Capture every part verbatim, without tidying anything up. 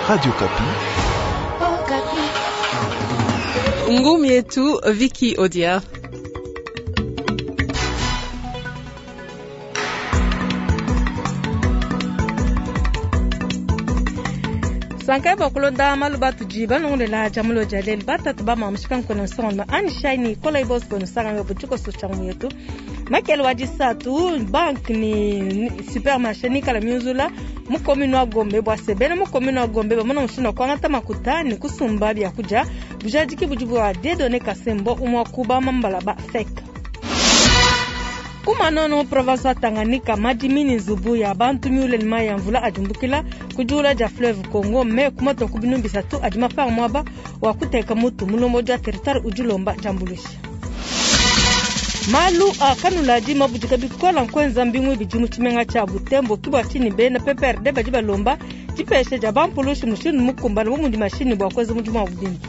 Radio Okapi. Ngumi yetu Vicky Odia. Sankai bakulonda malu batudi balongolela dia mulo dia lelu batatu bamamushika nkona nsonga ani shaini kola ibosco nsanga butshikoso tshia yetu makele wa disatu bank ni supermarché nikala miuzula mukomini wa Gombe bwa sebene mukomini wa Gombe bamona mushindu wa kuangata makuta ni kusumba byakudia bujadiki budi bua Dieudonné Kasembo umwa kuba mambala ba fek kumanono province wa Tanganyika madimi nzubu ya bantu miule ni mai ya mvula adimbukila kudiula dia fleuve Congo me kumatoka ku binu bisatu adi mapanga muaba wa kuteka mutu mulombo dia territoire udilomba diambuluisha malu akanuladi mabudika bikola nkwenza mbingu bidi mu tshimenga tshia Butembo kibwa tshini bena P P R D badi balomba dipesha dia bampulushi mushindu mukumbana bu mudi mashini bua kuenza mudimu wa budimi.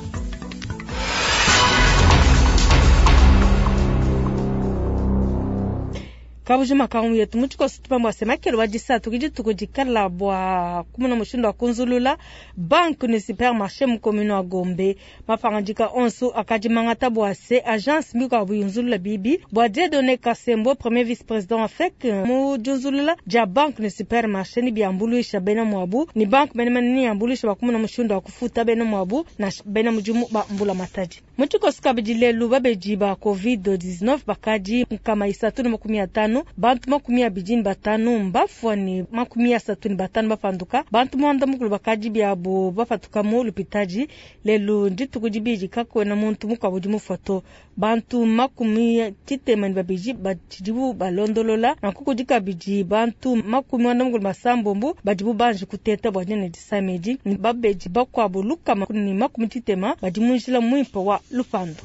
Kabujima kangu yetu mutshikoso tupambo asemakelo wa disatu kidituku dikala bua kumuna mushindu wa kunzulula banque ni supermarché mu commune wa Gombe mapangadika onso akadimangata bua se agence mikuabu buyunzulula bibi bua Dieudonné Kasembo premier vice président wa F E C mu diunzulula dia banque ni supermarché ni biambuluisha bena muabu ni banque menemene ni yambuluisha bua kumuna mushindu wa kufuta bena muabu na bena mudimu ba mbula matadi mutshikoso kabidi lelu babedi ba covid dix-neuf bakadi nkama isatu na makumi atano bantu makumi abidi ni batanu mbafua ni makumi asatu ni batanu bapanduka bantu mwanda mukulu bakadi biabo bapatuka mu lupitaji lelu ndituku dibidi kakwena muntu mukuabu udi mufoto bantu makumi tshitema ni babidi batshidibu balondolola nanku kudi kabidi bantu makumi mwanda mukulu basambombo badibu banji kuteta bua dina disamedi ni babedi bakuabu lukama ni makumi tshitema badi mu njila muimpe wa lupando.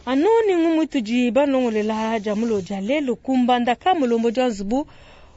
Anu ni ngumu tudi balongolela dia mulo dia lelu kumbanda ka mulombo dia nzubu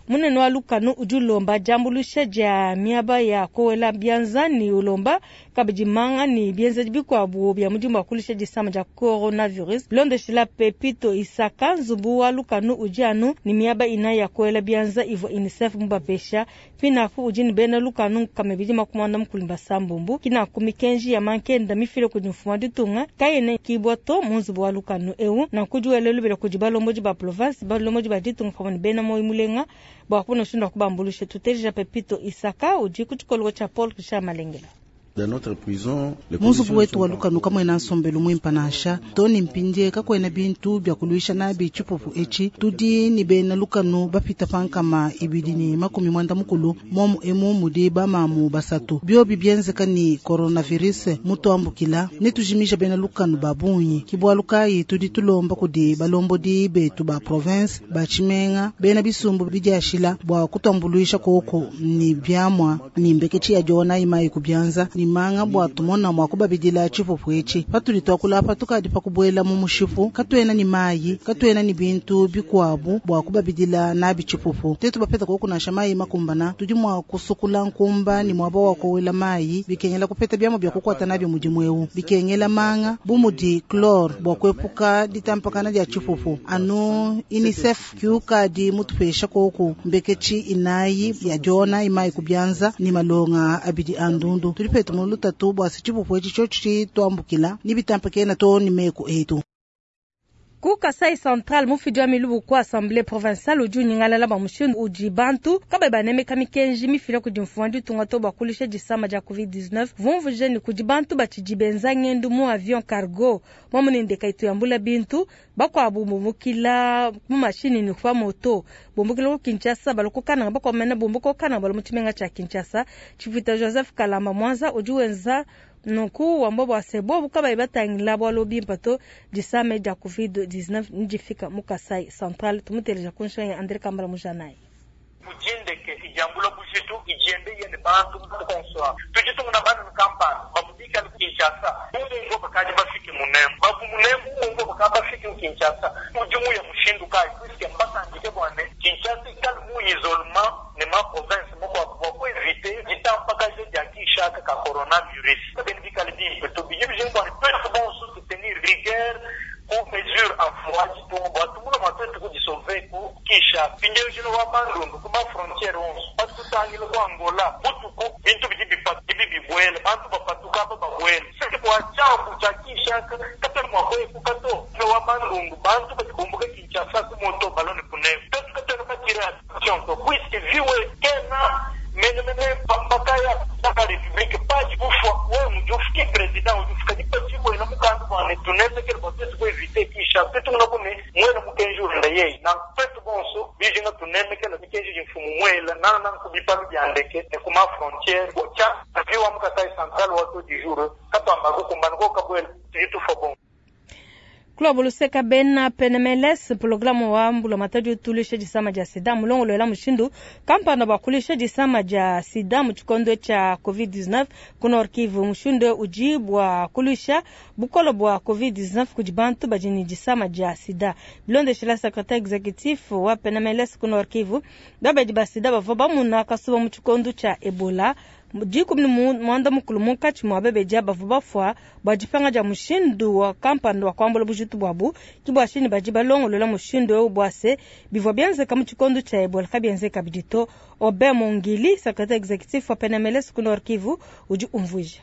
munene wa lukanu udi ulomba diambuluisha dia miaba ya kowela bianza ni ulomba kabidi manga ni bienzedi bikuabu bia mudimu wa kulisha disama dia coronavirus bilondeshela Pepito Isaka nzubu wa lukanu udi anu ni miaba ina ya kowela bianza ivua UNICEF mubapesha pinafu udi ni bena lukanu nkama ibidi makumi anda mukulu basambombo kinaku mikenji ya mankenda mifile kudi mfumu wa ditunga kayene kibwa to mu nzubu wa lukanu eu nanku diwele lubela kudi balombodi ba province balombodi ba ditunga pamue ne bena moyo mulenga bua kubona mushindu wa kubambulusha tuteja Pepito Isaka udi ku tshikolo tshia Paul Richard Malengela. Dans notre prison, les Munzubu wetu wa lukanu kamwena nsombelu mwimpa nansha toni mpindie kakwena bintu bya kuluisha nabi tshipupu etshi tudi ni bena lukanu bapita pankama ibidi ni makumi mwanda mukulu momu emu mudi bamamu basatu biobi bienzeka ni coronavirus mutuambukila netujimisha bena lukanu babunyi kibwalukayi tudi tulomba kudi balombodi betu ba province ba tshimenga bena bisumbu bidiashila bua kutuambuluisha koko ni biamwa ni mbeketshi ya diona imayi kubyanza ni manga bua tumona mwa kubabidila tshipupu etshi patudi tuakulapa tukadi pakubuela mu mushipu katuena ni mayi katuena ni bintu bikuabu bua kubabidila nabi tshipupu tetu bapeta kokunasha mayi makumbana tudi mwa kusukula nkumba ni mwaba wa kowela mayi bikengela kupeta biamwa bya kukwata nabyo mudimu eu bikengela manga bumudi chlore bua kuepuka ditampakana dia tshipupu anu UNICEF kiukadi mutupesha koku mbeketshi inayi ya diona imayi kubyanza ni malonga abidi andundu tudi petu mulutatu bua tshipupu etshi tshotshi tuambukila ni bitampakena to ni meku etu. Ku Kasai Central mufidi wa milubu ku assemblée provinciale udi unyingalala ba mushindu udi bantu kabayi banemeka mikenji mifila kudi mfumu wa ditunga to bua kulisha disama dia covid dix-neuf vumvuje ni kudi bantu batshidi benza ngendu mu avion cargo mwamune ndeka itu yambula bintu bakuabu bumbukila mu mashini ni kwa moto bumbukila ku Kinshasa balokokana bakwamena bumbukokana balo mu tshimenga tshia Kinshasa tshivita Joseph Kalamba Mwanza udi wenza nunku wambo bua sebo bukabayi batangila bwalo bimpa to disame dia covid dix-neuf ndifika mu Kasai Central tumuteleja ku ya André Kambala Mujanai. Kujindeke ijambula bujitu ijembe yene bantu mukonswa tujitunga bana kampani babudika Kinshasa mungu bakaji bafike munembo babu munembo mungu bakaji bafike mu Kinshasa mudimu ya mushindu kai puisque mbakandike bwane Kinshasa ikali mu isolement ne ma province moko bua kueviter ditampakaje dia Kinshasa ka coronavirus kabeni bikali bimpe to biji bijembo bwane twetu bonso soutenir rigueur ku mesure en foi ditunga bua tumuna mua twetu kudisauver ku Kinshasa pindieu jino wa bandundu ku ba frontière onso patutangile ku Angola butuku bintu bidi bipa bibi bibuela aka katwena mua kuepuka to wa Bandundu bantu badi bumbuka Kinshasa ku moto balua ne kunemu twetu katwena batire attention to puisque viwe kena menemene pambakaya la république padi bufwa wewe mudi ufike président udi ufika dipatshibwena mukanda bwane tunemekele bua twetu kuevite Kinshasa twetu muna kune mwena mukenji ulenda yeyi na twetu bonso bijinga tunemekela mikenji di mfumu mwela nana nanku bipalu bia ndeke ne kuma frontière tya viwa mu Kasai Central wa du jour katwamba kukumbana ko kabwela tudi tufa bon Club luseka bena P N M L S programu wa mbula matadi utulisha disama dia sida mulongolo mushindu kampanda bakulisha disama dia sida mu tshikondo tshia covid dix-neuf ku Nord Kivu mushindu uji bwa kulisha bukolo bwa covid dix-neuf kudi bantu badi ne disama dia sida bilondeshela secrétaire exécutif wa P N M L S ku Nord Kivu babedi ba sida bavua bamuna kasuba mu tshikondo tshia Ebola dikumi ni mwanda mukulu munkatshi mua bebeja bavua bafua bua dipanga dia mushindu wa kampanda wa kuambula bujitu bwabu ke bua shini badi balongolola mushindu eu bua se bivua bienzeka mu tshikondo tshia Ebola kabienzeka bidi to. Aubin Mongili, secrétaire exécutif wa P N M L S ku Nord Kivu, udi umvuija.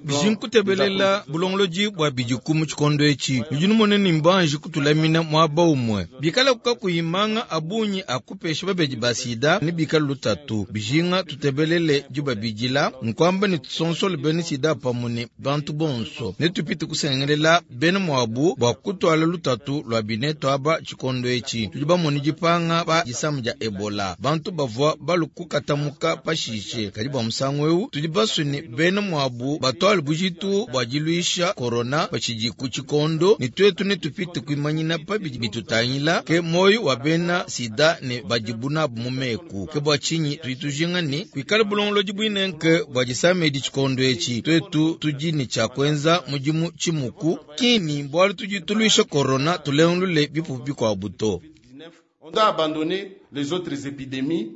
Bizinkutebelela bulongolodi bua bidiku mu tshikondo etshi bidi numone ni mbanji kutulamina muaba umue bikala kukakuyimanga abunyi akupesha babedi ba sida ni bikala lutatu bijinga tutebelele dibabidila nkwamba ni tusonsole bene sida pamue ne bantu bonso ne tupite kusengelela bene muabu bua kutwala lutatu lua bineto aba tshikondo etshi tudi bamone dipanga pa disamu dia Ebola bantu bavua balukukatamuka pashishe kadi bua musangu eu tudi basue bene muabu batwale bujitu bua diluisha corona patshidi ku tshikondo ne twetu ne tupite kuimanyina pabidi bitutangila ke moyo wa bena sida ne badibu nabu mu meku ke bua tshinyi tudi tujinga ne kuikala bulongolodi buinenke bua disamedi tshikondo etshi twetu tudi ne tshia kuenza mudimu tshimuku kini bualu tudi tuluisha corona tulengulule bipupu bikuabu to. On doit abandonner les autres épidémies.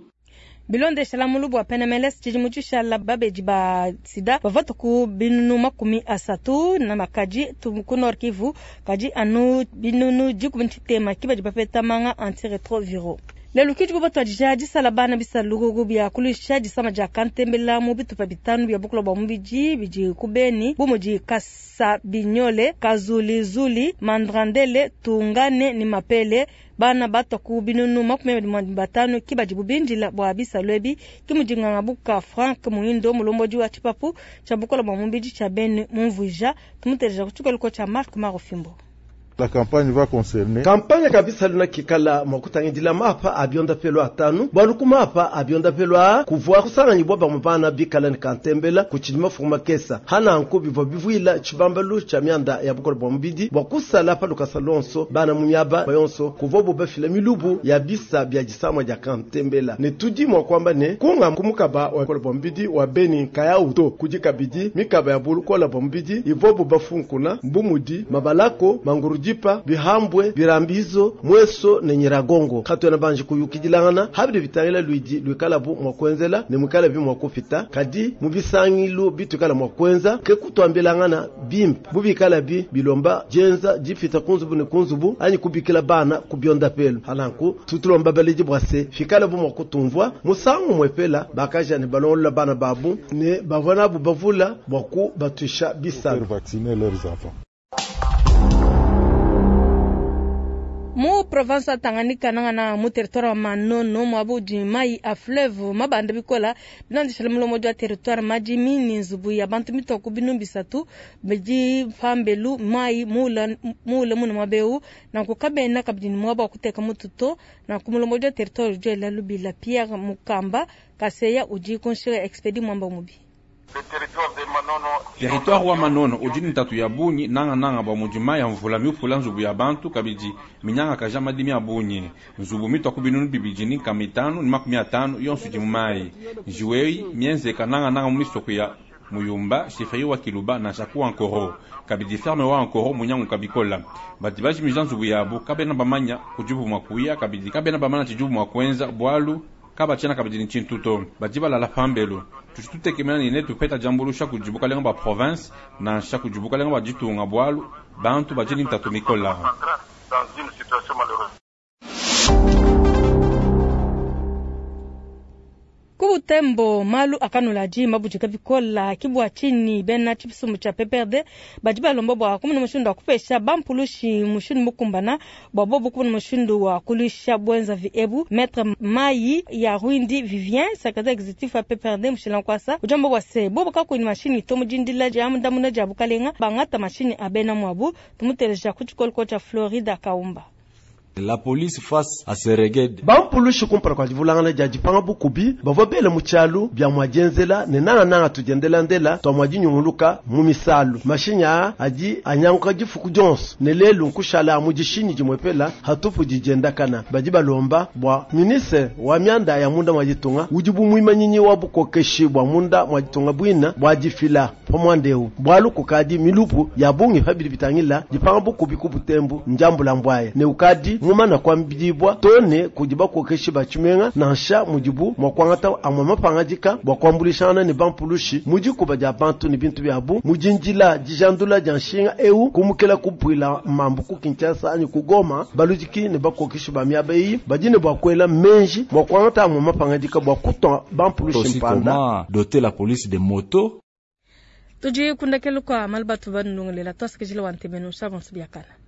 Bilondeshela mulubu wa P N M L S tshidimu tshishala babedi ba sida bavua ku binunu makumi asatu na makaji ku Nord Kivu kadi anu binunu dikumi tshitema ki badi bapeta manga antiretroviro. Lelo kidi kubatwadija disala bana bisalukuku bya kulisha disama dia kantembela mu bitupa bitanu bya bukula bwa mubidi bidi kubeni bumudi Kasabinyole, Kazulizuli, Mandrandele, Tungane ni Mapele. Bana batwa ku binunu makumi abiri batanu ki badi bubindila bwa bisalu ebi ki mudinganga buka Frank Muindo mulombodi wa tshipapu tshia bukula bwa mubidi tshia beni mumvuija tumuteleja ku tshikoliko tshia Mark Marofimbo. La campagne va concerner. Campagne kabisa luna kikala mwakutangidila mapa abionda pelo atanu bwaluku mapa abionda pelo a kuvua kusanganyibwa bamubana bikala ni kantembela kuchilima fuma kesa hana nku bivwa bivuila chibambalu cha mianda ya bukolo bwa mubidi bwa kusala pa lukasalonso bana munyaba bayonso kuvua bobafila milubu ya bisa bya disamwa dia kantembela ne tudi mwa kwamba ne kunga kumukaba wa bukolo bwa mubidi wa beni kaya uto kujikabidi mikaba ya bukolo bwa mubidi ivobo bafunkuna mbumudi mabalako mangurudi Jipa, bihambwe, birambizo, mweso ne nyiragongo. Katwena banji kuyukidilangana, habiri bitangila luidi luikalabu mwakwenzela ne mwikala bi mwakufita. Kadi mubisangilu bitukala mwakwenza ke kutwambilangana bimpe. Bubikala bi bilomba jenza jifita kunzubu ne kunzubu anyi kubikila bana kubyonda pelu. Halanku tutulomba baliji bwase fikala bu mwakutumvwa musangu mwepela bakaja ne balongola bana babu ne bavona bu bavula bwaku batusha bisalu. Vacciner leurs enfants. Mu province ya Tanganyika nangana mu territoire wa Manono mwabudi mai a fleuve mabanda bikola binandishela mulomo wa territoire majimi ni nzubu ya bantu mitoko binu bisatu bidi pambelu mai mula mula muna mabeu na kukabena kabidi mwaba kuteka mututo na kumulomo wa territoire jela lubila Pierre Mukamba Kaseya uji konshira expedi mwamba mubi. Territoire wa Manono udi ntatu ya bunyi nanga nanga ba mujima ya mvula miupula nzubu ya bantu kabidi minyanga kaja madimi ya bunyi nzubu mitwa kubinunu bibidi ni kamitano ni makumi atano yonso di mumai njiwei mienzeka nanga nanga mumisoko ya Muyumba chefferie wa Kiluba na Shaku Ankoro kabidi ferme wa Ankoro munyangu kabikola bati bajimija nzubu yabo kabena bamanya kujubu mwakuya kabidi kabena bamanya chijubu mwakwenza bwalu kabachena kabidi ni chintuto badi balala pambelo tututekemena ni tupeta jambulusha kujibuka lenga ba province na sha kujibuka lenga ba ditunga bwalu bantu bajini ntatu mikola. Ku Ku Butembo malu akanula adi mabudika bikola kibwa chini bena tshisumbu tshia P P R D badi balomba bua kumuna mushindu wa kupesha bampulushi mushindu mukumbana bua bobu kumuna mushindu wa kuluisha bwenzavi ebu. Maître Mai ya Rwindi Vivien, secrétaire exécutif wa P P R D mushila nkwasa, ujamba bua se bobu kakuini mashini to mudindila dia ndamuna dia bukalenga bangata mashini abena mwabu. Tumuteleja ku tshikoloko tshia Florida Kaumba. La police face à ce regain. Bampulushi kumpala kua divulangana dia dipanga bukubi bavua bele mu tshialu bia mua dienzela ne nangananga tudiendelandela tua mua dinyunguluka mu misalu. Mashinyi aa adi anyanguka difuku dionso ne lelu nkushala mu dishinyi dimwepela hatupu didiendakana. Badi balomba bua ministre wa mianda ya munda mwa ditunga udi bu muimanyinyi wa bukokeshi bua munda mwa ditunga bwina bua difila pa muanda bwalu kukadi milupu ya bungi pabidi bitangila dipanga bukubi ku Butembo njambula mbwaye ne ukadi mumana kuambidibwa tone kudi bakokeshi ba tshimenga nansha mudibu mua kuangata amwe mapangadika bua kuambulishana ne bampulushi mu dikuba dia bantu ne bintu biabu mu dindila dijandula dia nshinga eu kumukela kupwila mambu ku Kinshasa anyi ku Goma. Baludiki ne bakokeshi ba miaba eyi badi ne bua kuela menji mua kuangata amwe mapangadika bua kutua bampulushi mpanda. Comment doter la police de motos. Tudi kundakelu kwa malu batu banulongelela twasikijila wa ntemeno shabonso biakana.